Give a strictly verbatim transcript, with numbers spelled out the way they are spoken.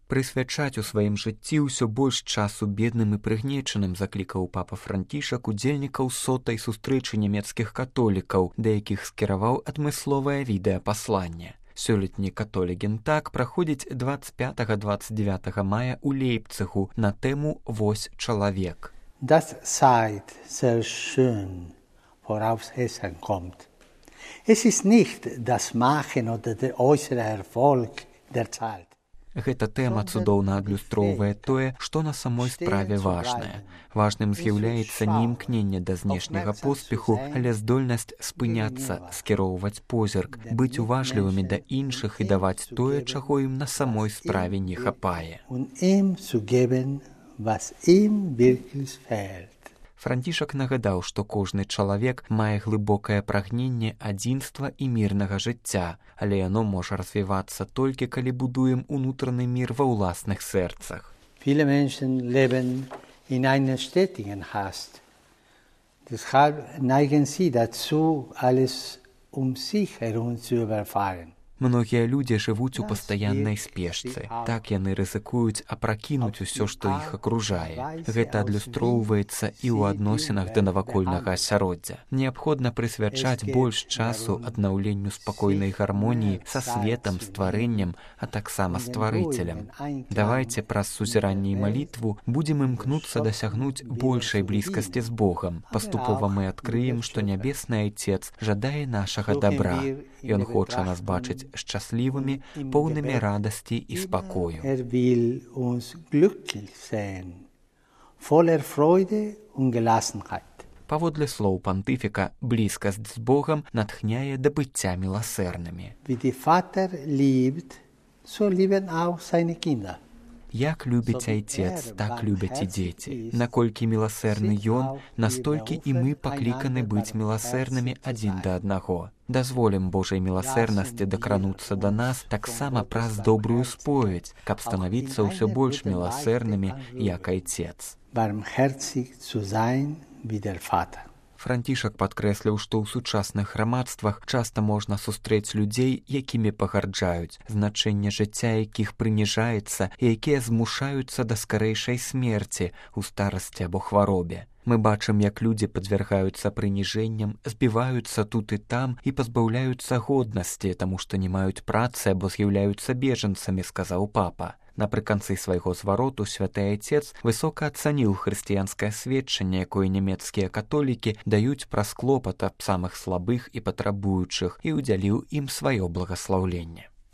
Прысвячаць у сваім жыцці ўсё больш часу бедным і прыгнечаным заклікаў папа Францішак удзельнікаў сотай сустрэчы нямецкіх католікаў, да якіх скіраваў адмысловае відэапасланне. Сёлетні Католігентаг праходзіць дваццаць пятага - дваццаць дзевятага мая ў Лейпцыгу на тэму «Вось чалавек». Das seid sehr schön worauf es ankommt. Es ist nicht das Machen oder der äußere Erfolg der Zeit. Гэта тэма цудоўна адлюстроўвае тое, што на самой справе важнае. Важным з'яўляецца не імкненне да знешняга поспеху, але здольнасць спыняцца, скіроўваць позірк, быць уважлівымі да іншых і даваць тое, чаго ім на самой справе не хапае. Францішак нагадаў, што кожны чалавек мае глыбокае прагненне адзінства і мірнага жыцця, але яно можа развівацца толькі, калі будуем унутраны мір ва ўласных сэрцах. Viele Menschen leben in einer stetigen Hast. Deshalb neigen sie dazu, alles um sich herum zu überfahren. Многія людзі жывуць у пастаяннай спешцы. Так яны рызыкуюць апракінуць усё, што іх акружае. Гэта адлюстроўваецца і ў адносінах да навакольнага асяроддзя. Неабходна прысвячаць больш часу аднаўленню спакойнай гармоніі са светам, стварэннем, а таксама стварыцелем. Давайце праз сузіранне і малітву будзем імкнуцца дасягнуць большай блізкасці з Богам. Паступова мы адкрыем, што Нябесны Айцец жадае нашага дабра. Ён хоча нас бачыць шчаслівымі, поўнымі радасці і спакою. Er will uns glücklich sehen, voller Freude und Gelassenheit. Паводле слоў пантыфіка, блізкасць з Богам натхняе да быцця міласэрнымі. Wie die Vater liebt, so lieben auch seine Kinder. Як любіць Айцец, так любяць і дзеці. Наколькі міласэрны Ён, настолькі і мы пакліканы быць міласэрнымі адзін да аднаго. Дазволім Божай міласэрнасці дакрануцца да нас таксама праз добрую споведь, каб станавіцца ўсё больш міласэрнымі, як Айцец. Barmherzig zu sein wie der Vater. Францішак падкрэсліў, што ў сучасных грамадствах часта можна сустрэць людзей, якімі пагарджаюць, значэнне жыцця якіх прыніжаецца і якія змушаюцца да скарэйшай смерці ў старасці або хваробе. Мы бачым, як людзі падвяргаюцца прыніжэнням, збіваюцца тут і там і пазбаўляюцца годнасці, таму што не маюць працы або з'яўляюцца бежанцамі, сказаў папа. Напрыканцы свайго звароту святы Айцец высока ацаніў хрысціянскае сведчанне, якое нямецкія католікі даюць праз клопат аб самых слабых і патрабуючых, і ўдзяліў ім сваё благаслаўленне.